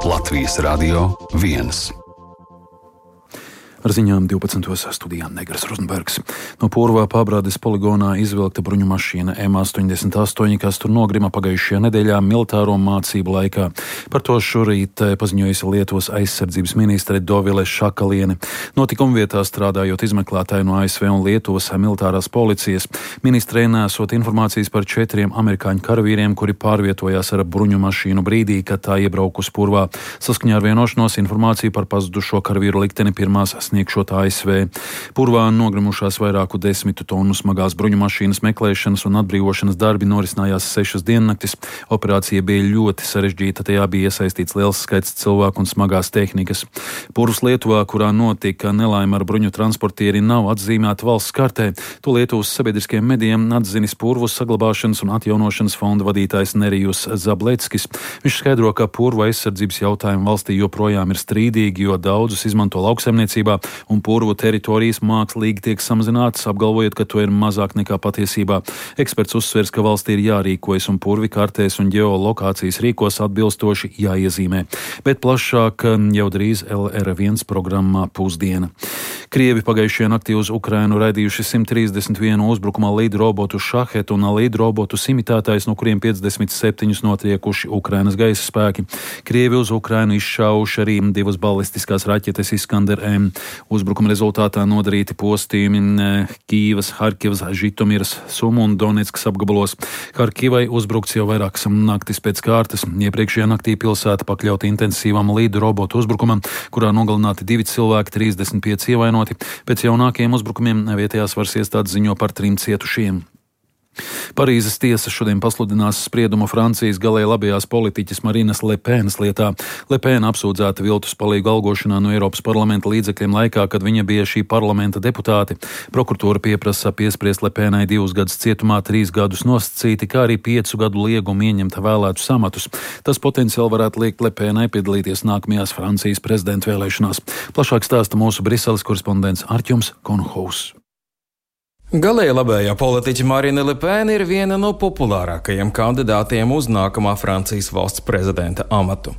Latvijas Radio 1. Ar ziņām 12. studijā Negras Rozenbergs. No Purvā Pabrādes poligonā izvilkta bruņu mašīna M88, kas tur nogrima pagājušajā nedēļā militāro mācību laikā. Par to šorīt paziņojusi Lietuvas aizsardzības ministre Dovile Šakaliene. Notikuma vietā strādājot izmeklētāji no ASV un Lietuvas militārās policijas. Ministrei nesot informācijas par 4 amerikāņu karavīriem, kuri pārvietojās ar bruņu mašīnu brīdī, kad tā iebraukus Purvā. Saskaņā ar vienošanos informāciju par pazudušo karavīru likteni pirmās sniegšot ASV. Purvā nogrimušās vairāku 10 tonu smagās bruņu mašīnas meklēšanas un atbrīvošanas darbi norisinājās 6 diennaktis. Operācija bija ļoti sarežģīta, tajā bija iesaistīts liels skaits cilvēku un smagās tehnikas. Purvs Lietuvā, kurā notika nelaime ar bruņu transportieri, nav atzīmēta valsts kartē. To Lietuvas sabiedriskajiem medijiem atzinis Purvas saglabāšanas un atjaunošanas fonda vadītājs Nerijus Zableckis. Viņš skaidro, ka Purvu aizsardzības jautājumi valstī joprojām ir strīdīgi, jo daudzus izmanto lauksaimniecībā, un Purvu teritorijas mākslīgi tiek samazinātas, apgalvojot, ka to ir mazāk nekā patiesībā. Eksperts uzsvers, ka valstī ir jārīkojas un Purvi kartēs un ģeolokācijas rīkos atbilstoši jāiezīmē. Bet plašāk jau drīz LR1 programmā Pusdiena. Krievi pagājušajā naktī uz Ukrainu raidījuši 131 uzbrukumā lidrobotu Šahet un lidrobotu imitētājs, no kuriem 57 notriekuši Ukrainas gaisa spēki. Krievi uz Ukrainu izšauši arī 2 balistiskās raķetes Iskander M. Uzbrukuma rezultātā nodarīti postījumi Kīvas, Harkivas, Žitomiras, Sumu un Donetskas apgabalos. Harkivai uzbrukts jau vairākas naktis pēc kārtas. Iepriekšējā naktī pilsēta pakļauta intensīvam lidrobotu uzbrukumam, kurā nogalināti 2 cilvēki, 35 ievainoti. Pēc jaunākajiem uzbrukumiem vietējās varas iestādes ziņo par 3 cietušiem. Parīzes tiesa šodien pasludinās spriedumu Francijas galēji labējās politiķes Marinas Le Penas lietā. Le Pena apsūdzēta viltus palīgu algošanā no Eiropas parlamenta līdzekļiem laikā, kad viņa bija šī parlamenta deputāte. Prokuratūra pieprasa piespriest Le Penai 2 gadus cietumā, 3 gadus nosacīti, kā arī 5 gadu liegumu ieņemt vēlētus amatus. Tas potenciāli varētu liekt Le Penai piedalīties nākamajās Francijas prezidenta vēlēšanās. Plašāk stāsta mūsu Briseles korespondents Artjums Konhaus. Galēji labējā politiķa Marine Le Pen ir viena no populārākajiem kandidātiem uz nākamā Francijas valsts prezidenta amatu.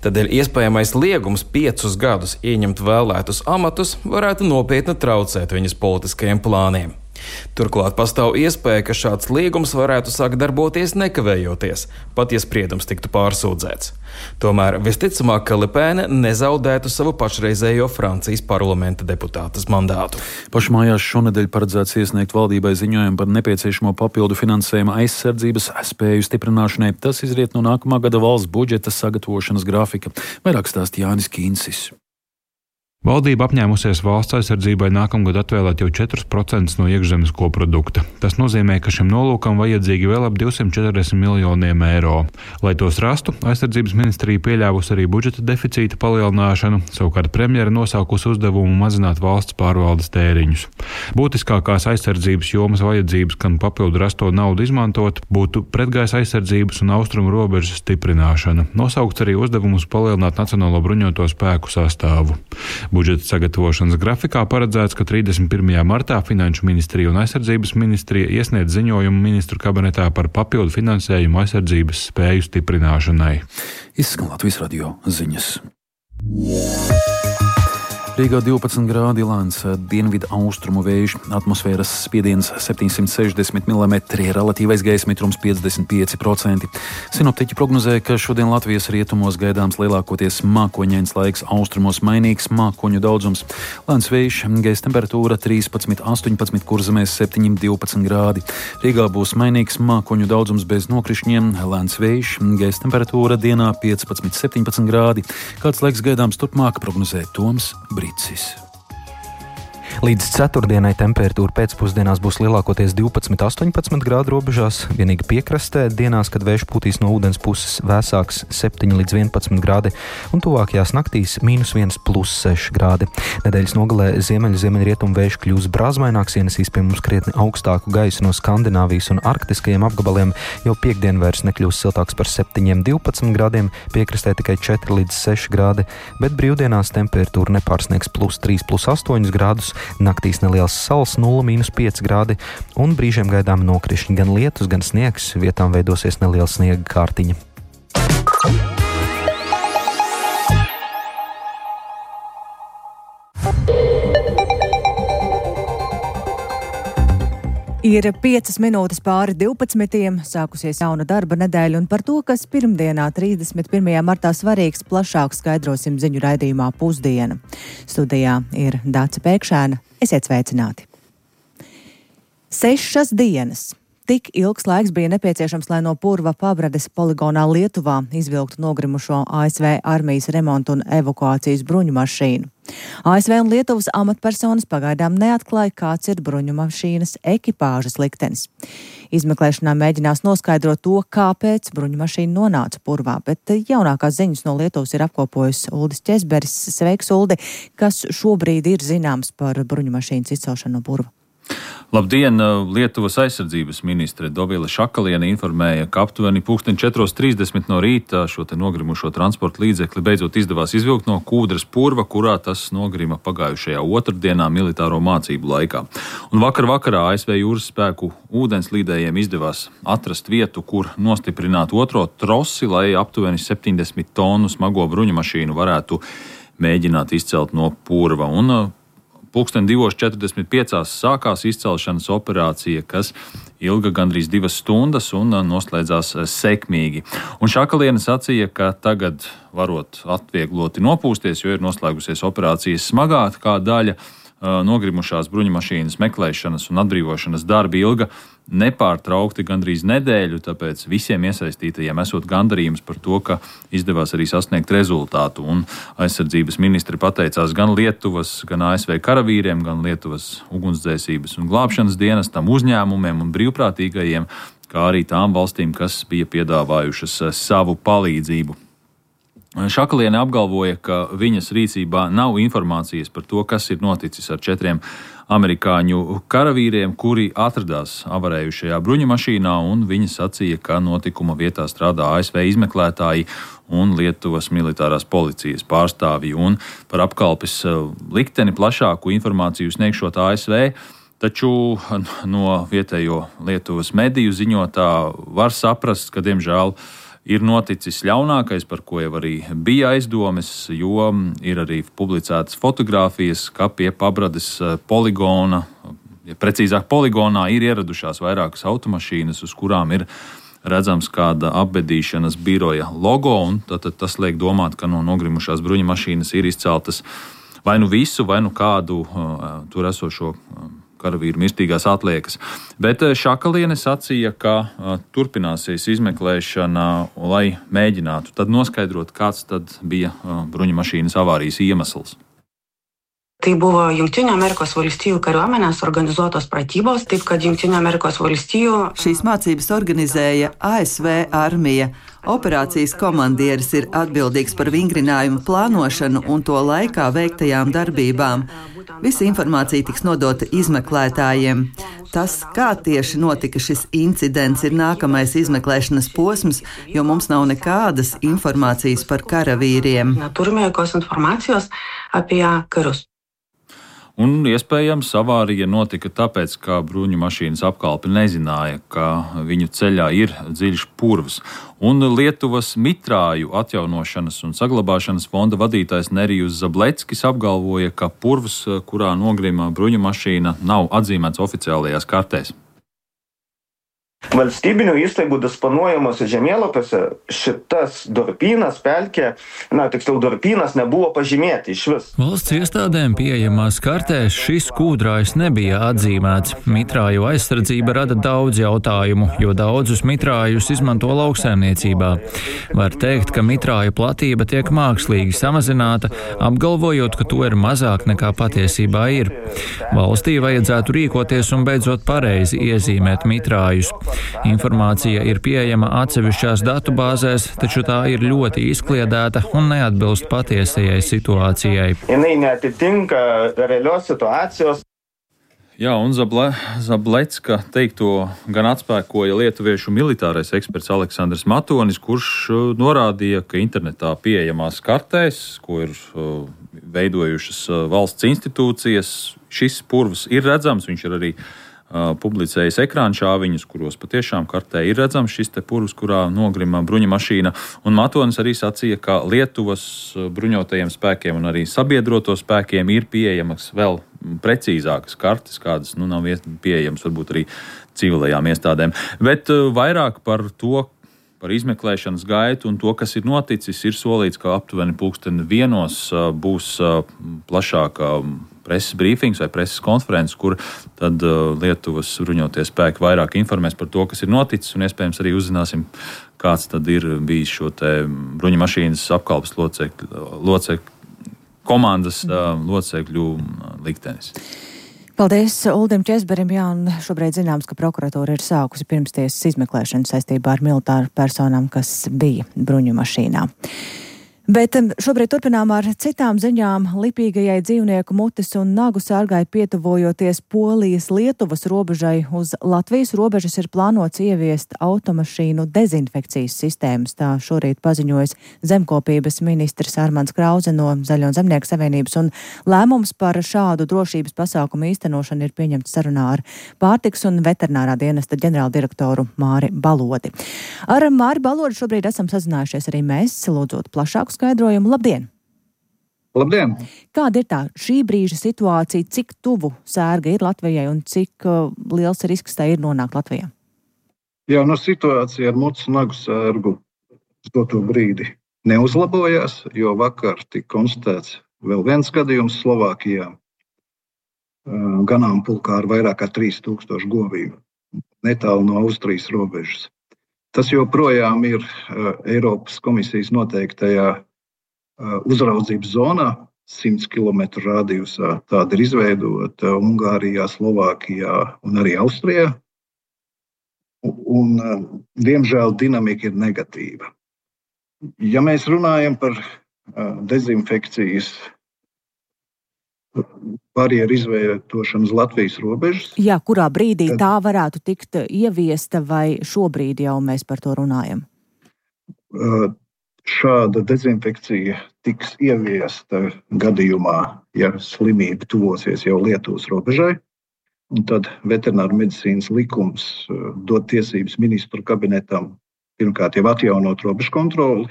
Tādēļ iespējamais liegums 5 gadus ieņemt vēlētus amatus varētu nopietni traucēt viņas politiskajiem plāniem. Turklāt pastāv iespēja, ka šāds liegums varētu sākt darboties nekavējoties, pat ja spriedums tiktu pārsūdzēts. Tomēr visticamāk, ka Le Pen nezaudētu savu pašreizējo Francijas parlamenta deputātes mandātu. Pašmājās šonedēļ paredzēts iesniegt valdībai ziņojumu par nepieciešamo papildu finansējumu aizsardzības spēju stiprināšanai. Tas izriet no nākamā gada valsts budžeta sagatavošanas grafika. Vairāk stāsta Jānis Kīncis. Valdība apņēmusies valsts aizsardzībai nākamgad atvēlēt jau 4% no iekšzemes koprodukta. Tas nozīmē, ka šim nolūkam vajadzīgi vēl ap 240 miljoniem eiro. Lai tos rastu, aizsardzības ministrija pieļāvusi arī budžeta deficīta palielināšanu, savukārt premjera nosaukusi uzdevumu mazināt valsts pārvaldes tēriņus. Būtiskākās aizsardzības jomas vajadzības, kam papildu rasto naudu izmantot, būtu pretgaisa aizsardzības un austrumu robežas stiprināšana. Nosaukts arī uzdevums palielināt Nacionālo bruņoto spēku sastāvu. Budžeta sagatavošanas grafikā paredzēts, ka 31. martā Finanšu ministrija un aizsardzības ministrija iesniedz ziņojumu ministru kabinetā par papildu finansējumu aizsardzības spēju stiprināšanai. Izskan Latvijas radio ziņas. Rīgā 12 grādi lēns dienvidu austrumu vējš, atmosfēras spiediens 760 mm, relatīvais gaisa mitrums 55%. Sinoptiķi prognozē, ka šodien Latvijas rietumos gaidāms lielākoties mākoņains laiks, austrumos mainīgs mākoņu daudzums. Lēns vējš, gaisa temperatūra 13–18, Kurzemēs 7–12 grādi. Rīgā būs mainīgs mākoņu daudzums bez nokrišņiem, lēns vējš, gaisa temperatūra dienā 15–17 grādi. Kāds laiks gaidāms turpmāk, prognozē Toms Brīcis. Līdz ceturtdienai temperatūra pēcpusdienās būs lielākoties 12–18 grādu robežās, vienīgi piekrastē dienās, kad vējš pūtīs no ūdens puses vēsāks 7–11 grādi, un tuvākajās naktīs -1–6 grādi. Nedēļas nogalē ziemeļrietumu vējš kļūs brāzmaināks, ienesīs pie mums krietni augstāku gaisu no Skandināvijas un arktiskajiem apgabaliem, jo piektdien vairs nekļūs siltāks par 7–12 grādiem, piekrastē tikai 4–6 grādi, bet brīvdienās temperatūra nepārsniegs +3–8 grādus, naktīs neliels sals 0–5 grādi un brīžiem gaidām nokrišņi, gan lietus, gan sniegs, vietām veidosies neliela sniega kārtiņa. Ir 5 minūtes pāri 12. Sākusies jauna darba nedēļa, un par to, kas pirmdienā, 31. martā svarīgs, plašāk skaidrosim ziņu raidījumā Pusdiena. Studijā ir Dāca Pēkšēna. Esiet sveicināti! 6 dienas. Tik ilgs laiks bija nepieciešams, lai no Purva Pabrades poligonā Lietuvā izvilktu nogrimušo ASV armijas remontu un evakuācijas bruņu mašīnu. ASV un Lietuvas amatpersonas pagaidām neatklāja, kāds ir bruņu mašīnas ekipāžas liktenis. Izmeklēšanā mēģinās noskaidrot to, kāpēc bruņu mašīna nonāca Purvā, bet jaunākās ziņas no Lietuvas ir apkopojusi Uldis Ķesberis. Sveiks, Uldi! Kas šobrīd ir zināms par bruņu mašīnas izcelšanu no Purva? Labdien! Lietuvas aizsardzības ministre Dovile Šakaliene informēja, ka aptuveni 4:30 no rīta šo te nogrimušo transporta līdzekli beidzot izdevās izvilkt no Kūdras Purva, kurā tas nogrima pagājušajā otrdienā militāro mācību laikā. Un vakarā ASV jūras spēku ūdenslīdējiem izdevās atrast vietu, kur nostiprināt otro trosi, lai aptuveni 70 tonu smago bruņu mašīnu varētu mēģināt izcelt no Purva. Un 2:45 sākās izcelšanas operācija, kas ilga gandrīz 2 stundas un noslēdzās sekmīgi. Un Šakaliene sacīja, ka tagad varot atviegloti nopūsties, jo ir noslēgusies operācijas smagākā daļa. Nogrimušās bruņumašīnas meklēšanas un atbrīvošanas darbi ilga nepārtraukti gandrīz nedēļu, tāpēc visiem iesaistītajiem esot gandarījums par to, ka izdevās arī sasniegt rezultātu. Un aizsardzības ministri pateicās gan Lietuvas, gan ASV karavīriem, gan Lietuvas ugunsdzēsības un glābšanas dienestam, uzņēmumiem un brīvprātīgajiem, kā arī tām valstīm, kas bija piedāvājušas savu palīdzību. Šakaliene apgalvoja, ka viņas rīcībā nav informācijas par to, kas ir noticis ar 4 amerikāņu karavīriem, kuri atradās avarējušajā bruņumašīnā, un viņa sacīja, ka notikuma vietā strādā ASV izmeklētāji un Lietuvas militārās policijas pārstāvji, un par apkalpes likteni plašāku informāciju sniegšot ASV. Taču no vietējo Lietuvas mediju ziņotā var saprast, ka diemžēl ir noticis ļaunākais, par ko jau arī bija aizdomes, jo ir arī publicētas fotogrāfijas, ka pie Pabrades poligona, precīzāk poligonā, ir ieradušās vairākas automašīnas, uz kurām ir redzams kāda apbedīšanas biroja logo, un tad tas liek domāt, ka no nogrimušās bruņu mašīnas ir izceltas vai nu visu, vai nu kādu tur esošo karavīru mirstīgās atliekas. Bet Šakaliene sacīja, ka turpināsies izmeklēšana, lai mēģinātu tad noskaidrot, kāds tad bija bruņumašīnas avārijas iemesls. Tai buvo Jungtinių Amerikos valstijų kariuomenės organizuotos pratybos, taip kad Jungtinių Amerikos valstijų... Šīs mācības organizēja ASV armija. Operācijas komandieris ir atbildīgs par vingrinājumu plānošanu un to laikā veiktajām darbībām. Visa informācija tiks nodota izmeklētājiem. Tas, kā tieši notika šis incidents, ir nākamais izmeklēšanas posms, jo mums nav nekādas informācijas par karavīriem. Neturime jokios informācijos apie karus. Un iespējams avārija notika tāpēc, ka bruņu mašīnas apkalpe nezināja, ka viņu ceļā ir dziļš purvs. Un Lietuvas mitrāju atjaunošanas un saglabāšanas fonda vadītājs Nerijus Zableckis apgalvoja, ka purvs, kurā nogrima bruņu mašīna, nav atzīmēts oficiālajās kartēs. Valstybinių įstaigų disponuojamuose žemėlapiuose šitas durpynas, pelkė, tiksliau durpynas nebuvo pažymėti išvis. Valsts iestādēm pieejamās kartēs šis kūdrājs nebija atzīmēts. Mitrāju aizsardzība rada daudz jautājumu, jo daudzus mitrājus izmanto lauksaimniecībā. Var teikt, ka mitrāju platība tiek mākslīgi samazināta, apgalvojot, ka to ir mazāk nekā patiesībā ir. Valstī vajadzētu rīkoties un beidzot pareizi iezīmēt mitrājus. Informācija ir pieejama atsevišķās datubāzēs, taču tā ir ļoti izkliedēta un neatbilst patiesajai situācijai. Jinai neatitinka realios situācijos. Jā, un Zablecka teikto gan atspēkoja lietuviešu militārais eksperts Aleksandrs Matonis, kurš norādīja, ka internetā pieejamās kartēs, ko ir veidojušas valsts institūcijas, šis purvs ir redzams, viņš ir arī publicējis ekrāna šāviņus, kuros patiešām kartē ir redzams šis te purvs, kurā nogrima bruņu mašīna. Un Matonis arī sacīja, ka Lietuvas bruņotajiem spēkiem un arī sabiedroto spēkiem ir pieejamas vēl precīzākas kartes, kādas nav pieejamas varbūt arī civilajām iestādēm. Bet vairāk par to, par izmeklēšanas gaitu un to, kas ir noticis, ir solīts, ka aptuveni 1:00 būs plašāka preses brīfings vai preses konferences, kur tad Lietuvas bruņotie spēki vairāk informēs par to, kas ir noticis, un iespējams arī uzzināsim, kāds tad ir bijis šo te bruņu mašīnas apkalpes locekļu komandas locekļu liktenis. Paldies Uldim Česberim. Jā, un šobrīd zināms, ka prokuratūra ir sākusi pirmstiesas izmeklēšanu saistībā ar militāru personām, kas bija bruņu mašīnā. Bet šobrīd turpinām ar citām ziņām. Lipīgajai dzīvnieku mutes un nagu sārgai pietuvojoties Polijas-Lietuvas robežai uz Latvijas robežas ir plānots ieviest automašīnu dezinfekcijas sistēmas. Tā šorīt paziņojas zemkopības ministrs Armands Krause no Zaļo un Zemnieku savienības, un lēmums par šādu drošības pasākumu īstenošanu ir pieņemts sarunā ar pārtiks un veterinārā dienesta ģenerāldirektoru Māri Balodi. Ar Māri Balodi šobrīd esam sazinājušies arī mēs, lūdzot plašāku skaidrojumu. Labdien! Labdien! Kāda ir tā šī brīža situācija, cik tuvu sērga ir Latvijai un cik liels risks tā ir nonākt Latvijā? Jā, situācija ar mutes un nagu sērgu uz doto brīdi neuzlabojās, jo vakar tika konstatēts vēl viens gadījums Slovākijā. Ganāmpulkā ar vairāk kā 3000 govīm, netālu no Austrijas robežas. Tas joprojām ir Eiropas komisijas noteiktajā uzraudzības zonā, 100 km radiusā. Tāda ir izveidota Ungārijā, Slovākijā un arī Austrijā. Un, diemžēl, dinamika ir negatīva. Ja mēs runājam par dezinfekcijas barjeru izvietošanu uz Latvijas robežas. Jā, kurā brīdī tā varētu tikt ieviesta vai šobrīd jau mēs par to runājam? Šāda dezinfekcija tiks ieviesta gadījumā, ja slimība tuvosies jau Lietuvas robežai. Un tad veterināru medicīnas likums dod tiesības ministru kabinetam pirmkārt jau atjaunot robežu kontroli.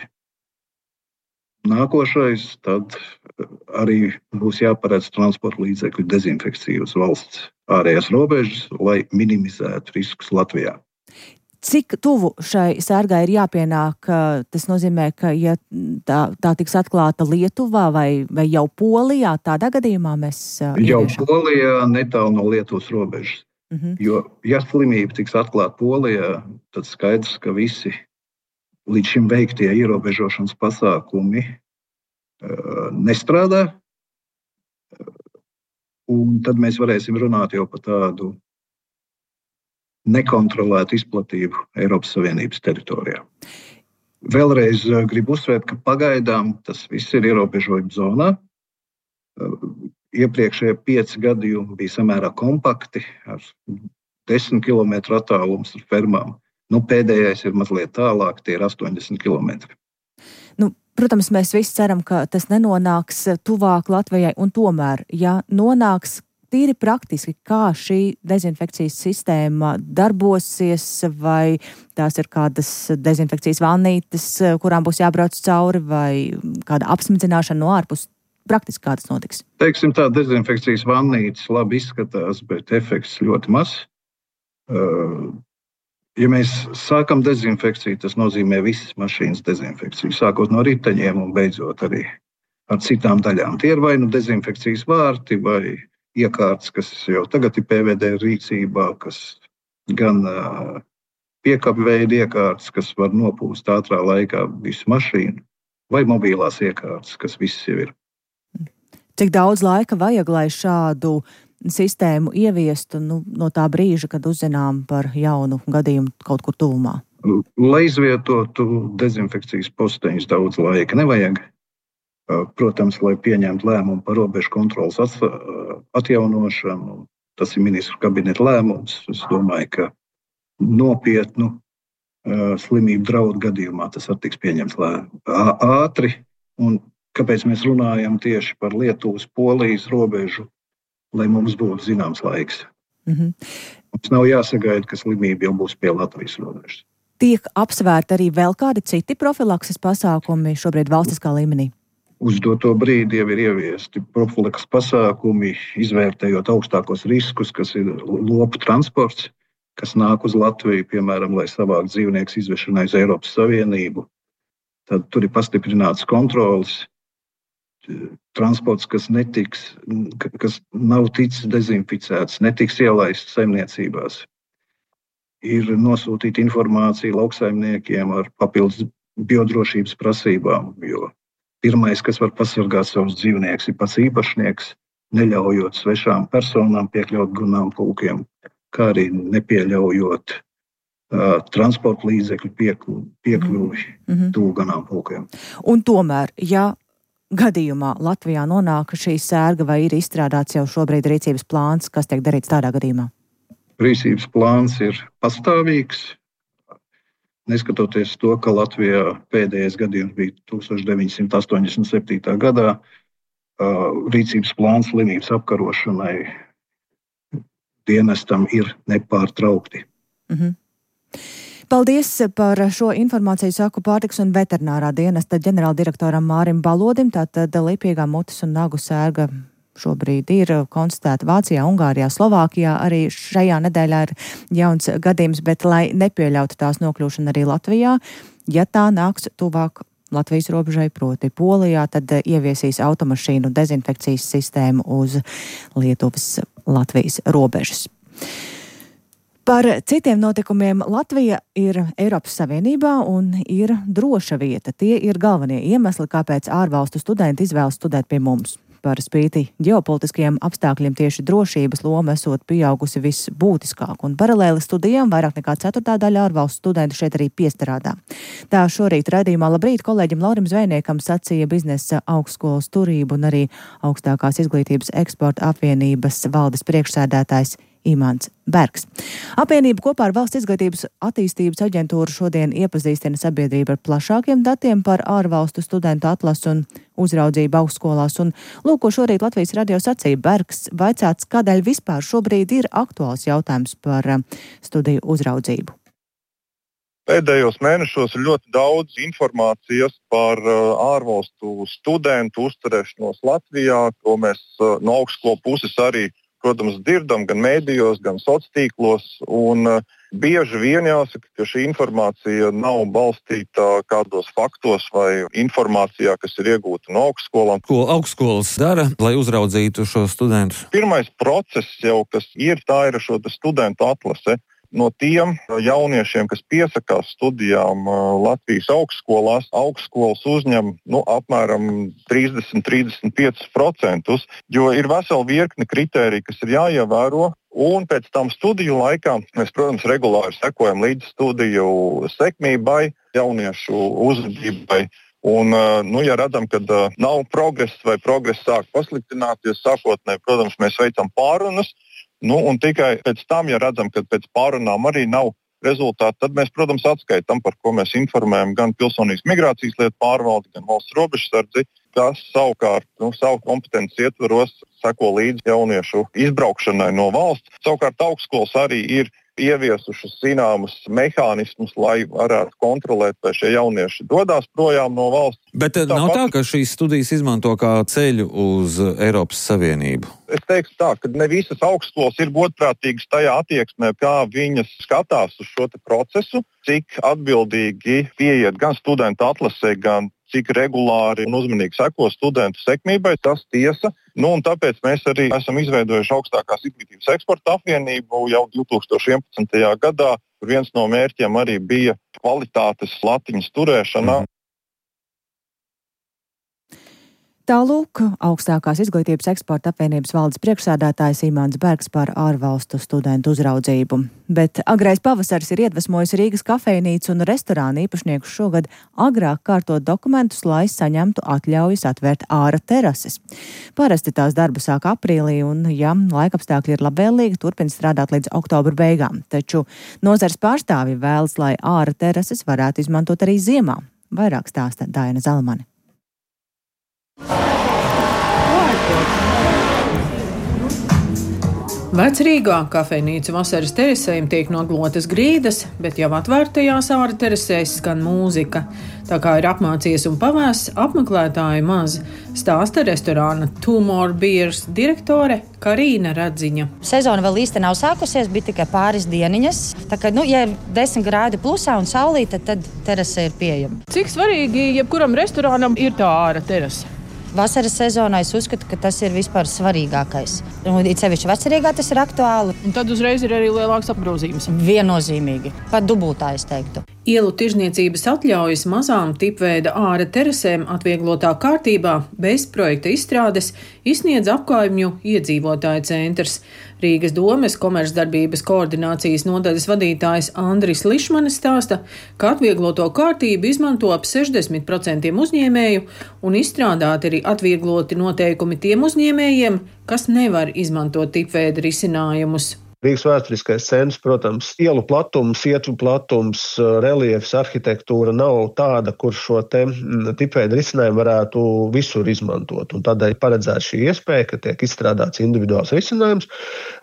Nākošais tad arī būs jāparedz transporta līdzekļu dezinfekciju uz valsts ārējās robežas, lai minimizētu riskus Latvijā. Cik tuvu šai sērgai ir jāpienāk? Tas nozīmē, ka ja tā tiks atklāta Lietuvā vai jau Polijā, tādā gadījumā mēs ieviešam? Jau Polijā, netālu no Lietuvas robežas. Jo, ja slimība tiks atklāta Polijā, tad skaidrs, ka visi līdz šim veiktie ierobežošanas pasākumi nestrādā, un tad mēs varēsim runāt jau par tādu nekontrolētu izplatību Eiropas Savienības teritorijā. Vēlreiz gribu uzsvērt, ka pagaidām tas viss ir ierobežojuma zonā. Iepriekšējie 5 gadījumi bija samērā kompakti, ar 10 km attālums ar fermām. Pēdējais ir mazliet tālāk, tie ir 80 km. Protams, mēs visi ceram, ka tas nenonāks tuvāk Latvijai, un tomēr, ja nonāks tīri praktiski, kā šī dezinfekcijas sistēma darbosies, vai tās ir kādas dezinfekcijas vannītes, kurām būs jābrauc cauri, vai kāda apsmidzināšana no ārpus, praktiski kā tas notiks? Teiksim tā, dezinfekcijas vannītes labi izskatās, bet efekts ļoti maz. Ja mēs sākam dezinfekciju, tas nozīmē visas mašīnas dezinfekciju, sākot no riteņiem un beidzot arī ar citām daļām. Tie ir vai dezinfekcijas vārti vai iekārtas, kas jau tagad ir PVD rīcībā, kas gan piekapu veidu iekārtas, kas var nopūst ātrā laikā visu mašīnu, vai mobilās iekārtas, kas viss jau ir. Cik daudz laika vajag, lai šādu sistēmu ieviestu no tā brīža, kad uzzinām par jaunu gadījumu kaut kur tuvumā? Lai izvietotu dezinfekcijas posteņus, daudz laika nevajag. Protams, lai pieņemtu lēmumu par robežu kontrolas atjaunošanu, tas ir ministru kabineta lēmums. Es domāju, ka nopietnu slimību draudu gadījumā tas var tiks pieņemts ātri. Un kāpēc mēs runājam tieši par Lietuvas, Polijas robežu? Lai mums būtu zināms laiks. Mums nav jāsagaida, ka slimība jau būs pie Latvijas robežas. Tiek apsvērti arī vēl kādi citi profilakses pasākumi šobrīd valstiskā līmenī? uz doto brīdi jau ir ieviesti profilaks pasākumi, izvērtējot augstākos riskus, kas ir lopu transports, kas nāk uz Latviju, piemēram, lai savāktu dzīvniekus izvešanai uz Eiropas Savienību. Tad tur ir pastiprināts kontrols. Transports, kas nav ticis dezinficēts, netiks ielaists saimniecībās. Ir nosūtīta informācija lauksaimniekiem ar papildus biodrošības prasībām, jo pirmais, kas var pasargāt savus dzīvniekus, ir pats īpašnieks, neļaujot svešām personām piekļaut ganāmpulkiem, kā arī nepieļaujot transporta līdzekļu piekļuvi tuvu ganāmpulkiem. Un tomēr, ja gadījumā Latvijā nonāk šī sērga, vai ir izstrādāts jau šobrīd rīcības plāns, kas tiek darīts tādā gadījumā? Rīcības plāns ir pastāvīgs. Neskatoties to, ka Latvijā pēdējais gadījums bija 1987. gadā, rīcības plāns slimības apkarošanai dienestam ir nepārtraukti. Paldies par šo informāciju, saku pārtikas un veterinārā dienesta ģenerāldirektoram Mārim Balodim. Tātad lipīgā mutes un nagu sērga šobrīd ir konstatēta Vācijā, Ungārijā, Slovākijā. Arī šajā nedēļā ir jauns gadījums, bet lai nepieļautu tās nokļūšanu arī Latvijā, ja tā nāks tuvāk Latvijas robežai, proti Polijā, tad ieviesīs automašīnu dezinfekcijas sistēmu uz Lietuvas-Latvijas robežas. Par citiem notikumiem Latvija ir Eiropas Savienībā un ir droša vieta. Tie ir galvenie iemesli, kāpēc ārvalstu studenti izvēlas studēt pie mums. Par spīti ģeopolitiskajiem apstākļiem tieši drošības loma esot pieaugusi visbūtiskāk, un paralēli studijām vairāk nekā 1/4 ārvalstu studentu šeit arī piestrādā. Tā šorīt raidījumā Labrīt kolēģim Laurim Zvejniekam sacīja biznesa augstskolas turību un arī augstākās izglītības eksporta apvienības valdes priekšsēdētājs Imants Bergs. Apvienība kopā ar Valsts izglītības attīstības aģentūru šodien iepazīstina sabiedrību ar plašākiem datiem par ārvalstu studentu atlasu un uzraudzību augstskolās. Un lūk, ko šorīt Latvijas radio sacīja Bergs, vaicāts, kādēļ vispār šobrīd ir aktuāls jautājums par studiju uzraudzību. Pēdējos mēnešos ir ļoti daudz informācijas par ārvalstu studentu uzturēšanos Latvijā, ko mēs no augstskolu puses arī, protams, dzirdam gan mēdījos, gan sociālos tīklos. Bieži vien jāsaka, ka šī informācija nav balstīta kādos faktos vai informācijā, kas ir iegūta no augstskolām. Ko augstskolas dara, lai uzraudzītu šo studentus? Pirmais process jau, kas ir, tā ir šo studentu atlase. No tiem jauniešiem, kas piesakās studijām Latvijas augstskolās, augstskolas uzņem apmēram 30–35%, jo ir vesela virkne kritēriju, kas ir jāievēro. Un pēc tam studiju laikā mēs, protams, regulāri sekojam līdz studiju sekmībai, jauniešu uzvedībai. Un, ja redzam, ka nav progress vai progress sāk pasliktināties, sākotnēji, protams, mēs veicam pārunas. Un tikai pēc tam, ja redzam, ka pēc pārunām arī nav rezultāti, tad mēs, protams, atskaitām, par ko mēs informējam gan Pilsonības migrācijas lietu pārvaldi, gan Valsts robežsardzi, kas savukārt savu kompetences ietvaros seko līdz jauniešu izbraukšanai no valsts. Savukārt augstskolas arī ir ieviesušas zināmus mehānismus, lai varētu kontrolēt, vai šie jaunieši dodas projām no valsts. Bet nav tā, ka šīs studijas izmanto kā ceļu uz Eiropas Savienību? Es teiktu tā, ka ne visas augstskolas ir godprātīgas tajā attieksmē, kā viņas skatās uz šo procesu, cik atbildīgi pieiet gan studentu atlasē, gan cik regulāri un uzmanīgi seko studentu sekmībai, tas tiesa. Un tāpēc mēs arī esam izveidojuši augstākās izglītības eksporta apvienību jau 2011. gadā, kur viens no mērķiem arī bija kvalitātes latiņas turēšana. Tālūk, augstākās izglītības eksporta apvienības valdes priekšsēdētājs Imants Bergs par ārvalstu studentu uzraudzību. Bet agrais pavasaris ir iedvesmojis Rīgas kafejnīcu un restorānu īpašniekus šogad agrāk kārtot dokumentus, lai saņemtu atļaujas atvērt āra terases. Parasti tās darba sāk aprīlī un, ja laikapstākļi ir labvēlīgi, turpina strādāt līdz oktobra beigām. Taču nozares pārstāvji vēlas, lai āra terases varētu izmantot arī ziemā. Vairāk stāsta Daina Zalamane. Vecrīgā kafejnīcu vasaras terasēm tiek noglotas grīdas, bet jau atvērtajās āra terasēs skan mūzika. Tā kā ir apmācies un pavēsts, apmeklētāju maz, stāsta restorāna Two More Beers direktore Karīna Radziņa. Sezona vēl īsti nav sākusies, bija tikai pāris dieniņas. Tā kā, ja ir 10 grādi plusā un saulīta, tad terase ir pieejama. Cik svarīgi jebkuram restorānam ir tā āra terase? Vasaras sezonā es uzskatu, ka tas ir vispār svarīgākais. It sevišķi vecrīgā tas ir aktuāli. Un tad uzreiz ir arī lielāks apgrozījums. Viennozīmīgi. Pat dubultā, es teiktu. Ielu tirzniecības atļaujas mazām tipveida āra terasēm atvieglotā kārtībā bez projekta izstrādes izsniedz Apkaimju iedzīvotāju centrs. Rīgas domes komercdarbības koordinācijas nodaļas vadītājs Andris Lišmanis stāsta, ka atviegloto kārtību izmanto ap 60% uzņēmēju un izstrādāti arī atviegloti noteikumi tiem uzņēmējiem, kas nevar izmantot tipveida risinājumus. Rīgas vēsturiskais centrs, protams, ielu platums, ietvu platums, reliefs, arhitektūra nav tāda, kur šo tipveidu risinājumu varētu visur izmantot. Un tādēļ paredzēta šī iespēja, ka tiek izstrādāts individuāls risinājums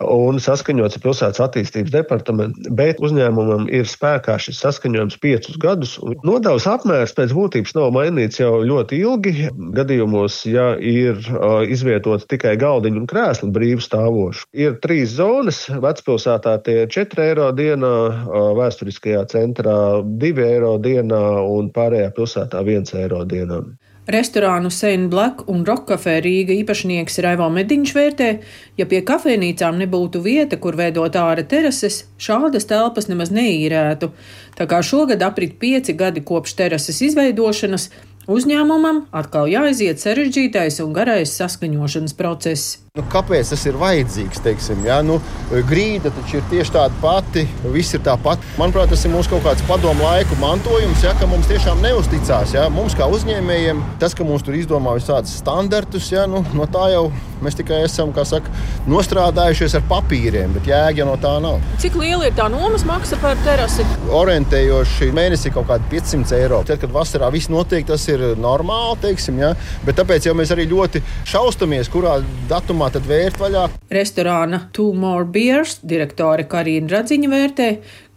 un saskaņots ar pilsētas attīstības departamentu, bet uzņēmumam ir spēkā šis saskaņojums 5 gadus. Nodevas apmērs pēc būtības nav mainīts jau ļoti ilgi. Gadījumos, ja ir izvietota tikai galdiņu un krēsli brīvi stāvoši. Ir 3 zonas. Vecpilsētā tie ir 4 eiro dienā, vēsturiskajā centrā 2 eiro dienā un pārējā pilsētā 1 eiro dienā. Restorānu Saint Black un Rock Café Rīga īpašnieks Raivo Mediņš vērtē, ja pie kafejnīcām nebūtu vieta, kur veidot āra terases, šādas telpas nemaz neīrētu. Tā kā šogad aprit 5 gadi kopš terases izveidošanas, uzņēmumam atkal jāaiziet sarežģītais un garais saskaņošanas process. Kāpēc tas ir vajadzīgs, teiksim, ja? Grīda taču ir tieši tāda pati, viss ir tāpat. Manuprāt, tas ir mūsu kaut kāds padomu laiku mantojums, ja, ka mums tiešām neuzticās. Ja? Mums kā uzņēmējiem, tas, ka mums tur izdomā visādus standartus, ja, no tā jau mēs tikai esam, kā saka, nostrādājušies ar papīriem, bet jēga no tā nav. Cik liela ir tā nomas maksa par terasi? Orientējoši mēnesī kaut kādi 500 eiro. Tad, kad vasarā viss notiek, tas ir normāli, teiksim, ja? Bet tāpēc jau mēs arī ļoti šaustamies, kurā datumā tad vērt vaļā. Restorāna Two More Beers direktore Karīna Radziņa vērtē,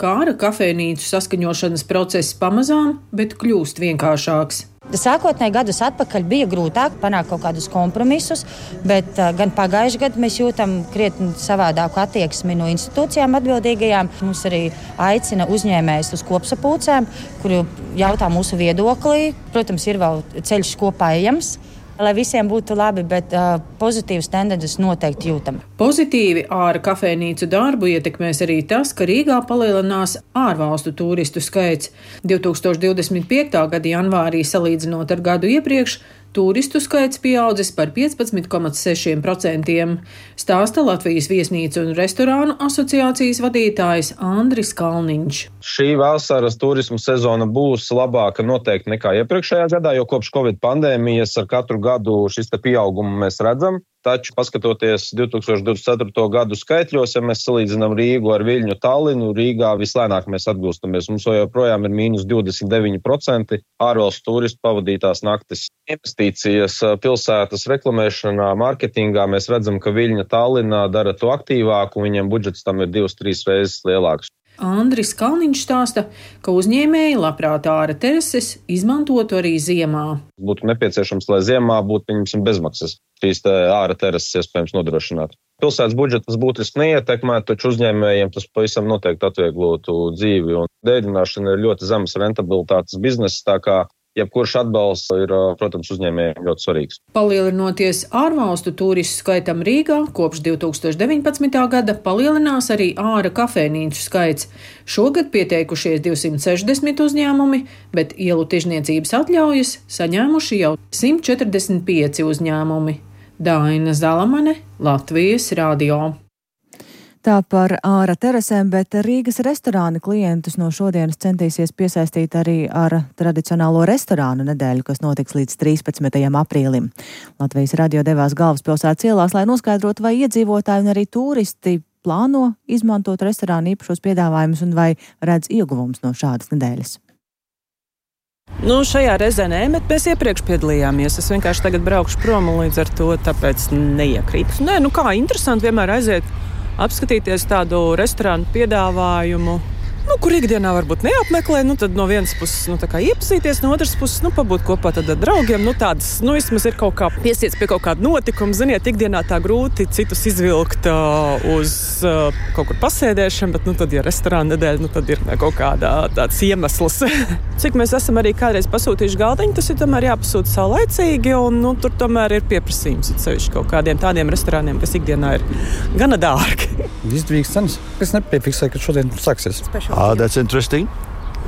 ka āra kafejnīcu saskaņošanas process pamazām, bet kļūst vienkāršāks. Sākotnēji gadus atpakaļ bija grūtāk panākt kaut kādus kompromisus, bet gan pagājušajā gadā mēs jūtam krietni savādāku attieksmi no institūcijām atbildīgajām. Mums arī aicina uzņēmējus uz kopsapulcēm, kuri jautā mūsu viedoklī. Protams, ir vēl ceļš kopā ejams, lai visiem būtu labi, bet pozitīvas tendences noteikti jūtam. Pozitīvi āra kafejnīcu darbu ietekmēs arī tas, ka Rīgā palielinās ārvalstu turistu skaits. 2025. gada janvārī salīdzinot ar gadu iepriekš, turistu skaits pieaudzis par 15,6%, stāsta Latvijas viesnīcu un restorānu asociācijas vadītājs Andris Kalniņš. Šī vasaras turismu sezona būs labāka noteikti nekā iepriekšējā gadā, jo kopš Covid pandēmijas ar katru gadu šis pieaugumu mēs redzam. Taču, paskatoties 2024. gadu skaitļos, ja mēs salīdzinām Rīgu ar Viļņu, Tallinu, Rīgā vislēnāk mēs atgūstamies. Mums joprojām ir mīnus 29% ārvalstu turistu pavadītās naktis. Investīcijas pilsētas reklamēšanā, mārketingā mēs redzam, ka Viļņa, Tallinā dara to aktīvāk un viņiem budžets tam ir 2-3 reizes lielāks. Andris Kalniņš stāsta, ka uzņēmēji labprāt āra terases izmantotu arī ziemā. Būtu nepieciešams, lai ziemā būtu, pieņemsim, bezmaksas šīs āra terases iespējams nodrošināt. Pilsētas budžetas būtiski neietekmētu, taču uzņēmējiem tas pavisam noteikti atvieglotu dzīvi. Un dēļināšana ir ļoti zemes rentabilitātes biznesa, tā kā jebkurš atbalsts ir, protams, uzņēmējiem ļoti svarīgs. Palielinoties ārvalstu turistu skaitam Rīgā, kopš 2019. gada palielinās arī āra kafejnīcu skaits. Šogad pieteikušies 260 uzņēmumi, bet ielu tirzniecības atļaujas saņēmuši jau 145 uzņēmumi. Daina Zalamane, Latvijas radio. Tā par āra terasēm, bet Rīgas restorāni klientus no šodienas centīsies piesaistīt arī ar tradicionālo restorānu nedēļu, kas notiks līdz 13. aprīlim. Latvijas radio devās galvaspilsētas ielās, lai noskaidrotu, vai iedzīvotāji un arī turisti plāno izmantot restorānu īpašos piedāvājumus un vai redz ieguvums no šādas nedēļas. Šajā reizē nē, bet mēs iepriekš piedalījāmies. Es vienkārši tagad braukšu prom un līdz ar to tāpēc neiekrītu. Nē, kā interesanti vienmēr aiziet apskatīties tādu restorānu piedāvājumu, kur ikdienā varbūt neapmeklē, tad no vienas puses iepazīties, no otras puses pabūt kopā tad ar draugiem. Tādas, vismaz ir kaut kā piesiets pie kaut kāda notikuma. Ziniet, ikdienā tā grūti citus izvilkt uz kaut kur pasēdēšanu, bet tad, ja restorāna nedēļa, tad ir kaut kādā tāds iemesls. Cik mēs esam arī kādreiz pasūtījuši galdiņu, tas ir tomēr jāpasūta saulaicīgi, un tur tomēr ir pieprasījums sevišķi kaut kādiem tādiem restorāniem, kas ikdienā ir gana dārgi. Izdevīgs cenas. Es nepiefiksēju, ka šodien sāksies. That's interesting.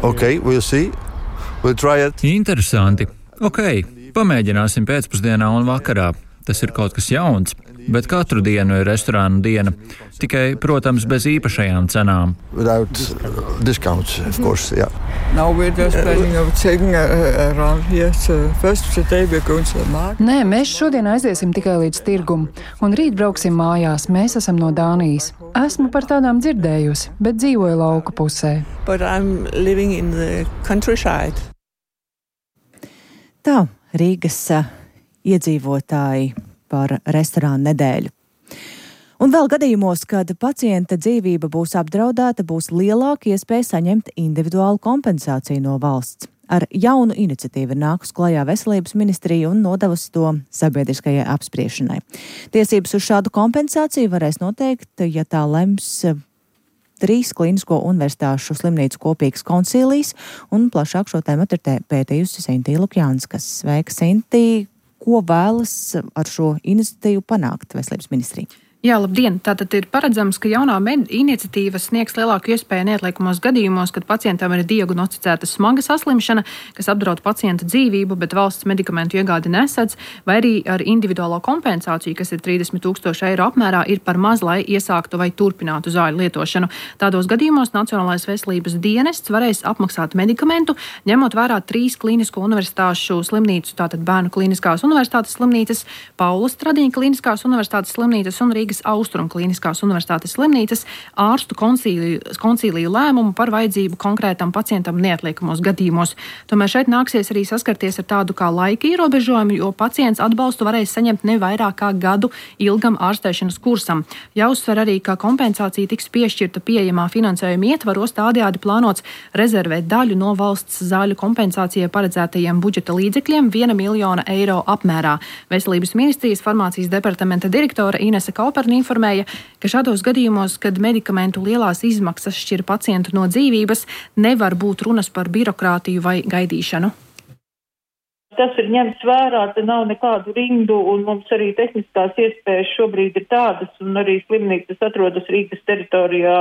Okay, we'll see. We'll try it. Interesanti. Ok, pamēģināsim pēcpusdienā un vakarā. Tas ir kaut kas jauns, bet katru dienu ir restorānu diena. Tikai, protams, bez īpašajām cenām. Without discounts, of course, yeah. Now we're just planning of taking around here. So first today we're going to the market. Nē, mēs šodien aiziesim tikai līdz tirgumu, un rīt brauksim mājās. Mēs esam no Dānijas. Esmu par tādām dzirdējusi, bet dzīvoju lauku pusē. But I'm living in the countryside. Tā, Rīgas iedzīvotāji par restorānu nedēļu. Un vēl gadījumos, kad pacienta dzīvība būs apdraudēta, būs lielāka iespēja saņemt individuālu kompensāciju no valsts. Ar jaunu iniciatīvu nākus klajā Veselības ministrija un nodevusi to sabiedriskajai apspriešanai. Tiesības uz šādu kompensāciju varēs noteikt, ja tā lems 3 klinisko universitāšu slimnīcu kopīgs koncīlijs, un plašāk šo tēmatu ir pētījusi Sintī Lukjanskas. Sveika, Sintī! Ko vēlas ar šo iniciatīvu panākt Veselības ministrija? Jā, labdien! Tātad ir paredzams, ka jaunā iniciatīva sniegs lielāku iespēju neatliekamos gadījumos, kad pacientam ir diagnosticēta smaga saslimšana, kas apdraud pacienta dzīvību, bet valsts medikamentu iegādi nesedz, vai arī ar individuālo kompensāciju, kas ir 30 000 eiro apmērā, ir par maz, lai iesāktu vai turpinātu zāļu lietošanu. Tādos gadījumos Nacionālais veselības dienests varēs apmaksāt medikamentu, ņemot vērā 3 klinisko universitāšu slimnīcu, tātad Bērnu kliniskās universitātes slimnīcas, Paula Stradiņa kliniskās universitātes slimnīcas un Rīgas Austrumu kliniskās universitātes slimnīcas ārstu koncīliju lēmumu par vajadzību konkrētam pacientam neatliekamos gadījumos. Tomēr šeit nāksies arī saskarties ar tādu kā laika ierobežojumu, jo pacients atbalstu varēs saņemt ne vairāk kā gadu ilgam ārstēšanas kursam. Jāuzsver arī, ka kompensācija tiks piešķirta pieejamā finansējuma ietvaros, tādējādi plānots rezervēt daļu no valsts zāļu kompensācijai paredzētajiem budžeta līdzekļiem 1 miljona eiro apmērā. Veselības ministrijas farmācijas departamenta direktore Inese Kauperna informēja, ka šādos gadījumos, kad medikamentu lielās izmaksas šķir pacientu no dzīvības, nevar būt runas par birokrātiju vai gaidīšanu. Tas ir ņemts vērā, te nav nekādu rindu, un mums arī tehniskās iespējas šobrīd ir tādas, un arī slimnīcas atrodas Rīgas teritorijā.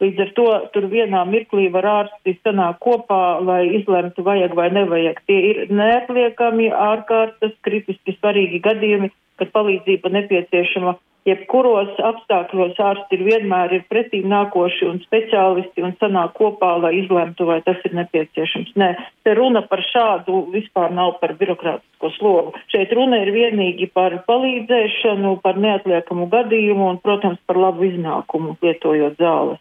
Līdz ar to tur vienā mirklī var ārsti sanākt kopā, lai izlemtu vajag vai nevajag. Tie ir neatliekami ārkārtas, kritiski svarīgi gadījumi, kad palīdzība nepieciešama. Jebkuros apstākļos ārsti vienmēr ir pretīm nākoši un speciālisti un sanāk kopā, lai izlemtu, vai tas ir nepieciešams. Nē, te runa par šādu vispār nav par birokrātisko slogu. Šeit runa ir vienīgi par palīdzēšanu, par neatliekamu gadījumu un, protams, par labu iznākumu lietojot zāles.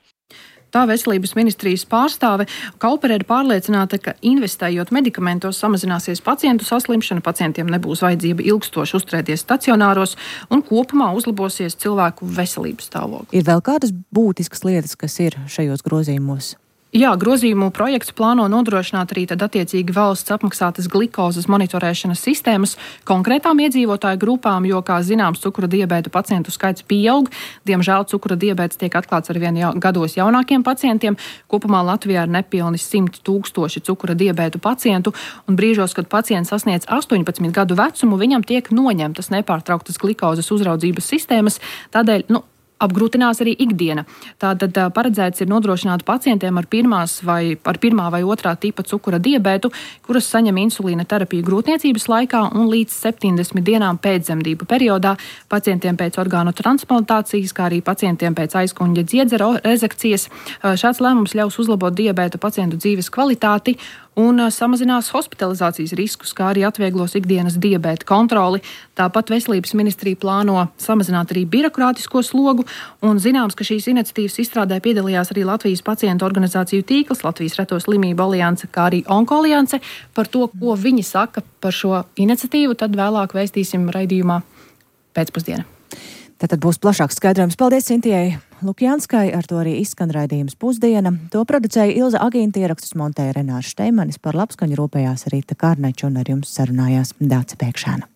Tā Veselības ministrijas pārstāve Kaupere ir pārliecināta, ka investējot medikamentos samazināsies pacientu saslimšana, pacientiem nebūs vajadzība ilgstoši uzturēties stacionāros un kopumā uzlabosies cilvēku veselības stāvoklis. Ir vēl kādas būtiskas lietas, kas ir šajos grozījumos? Jā, grozījumu projekts plāno nodrošināt arī tad attiecīgi valsts apmaksātas glikozes monitorēšanas sistēmas konkrētām iedzīvotāju grupām, jo, kā zināms, cukura diabēta pacientu skaits pieaug. Diemžēl cukura diabēts tiek atklāts arvien gados jaunākiem pacientiem. Kopumā Latvijā ir nepilni 100 000 cukura diabētu pacientu, un brīžos, kad pacients sasniedz 18 gadu vecumu, viņam tiek noņemtas nepārtrauktas glikozes uzraudzības sistēmas, tādēļ, apgrūtinās arī ikdiena. Tātad paredzēts ir nodrošināt pacientiem ar pirmā vai otrā tipa cukura diabētu, kuras saņem insulīna terapiju grūtniecības laikā un līdz 70 dienām pēcdzemdību periodā, pacientiem pēc orgānu transplantācijas, kā arī pacientiem pēc aizkuņģa dziedzera rezekcijas. Šāds lēmums ļaus uzlabot diabēta pacientu dzīves kvalitāti un samazinās hospitalizācijas riskus, kā arī atvieglos ikdienas diabēta kontroli. Tāpat Veselības ministrija plāno samazināt arī birokrātisko slogu, un zināms, ka šīs iniciatīvas izstrādē piedalījās arī Latvijas pacientu organizāciju tīkls, Latvijas reto slimību alianse, kā arī Onkolianse. Par to, ko viņi saka par šo iniciatīvu, tad vēlāk vēstīsim raidījumā pēcpusdienā. Tātad būs plašāks skaidrojums. Paldies Sintijai Lukjanskai, ar to arī izskan raidījums Pusdiena. To producēja Ilza Agīnta, ierakstus montēja Renārs Šteimanis, par labskaņu rūpējās Rīta Kārneča un ar jums sarunājās Dāce Pēkšēna.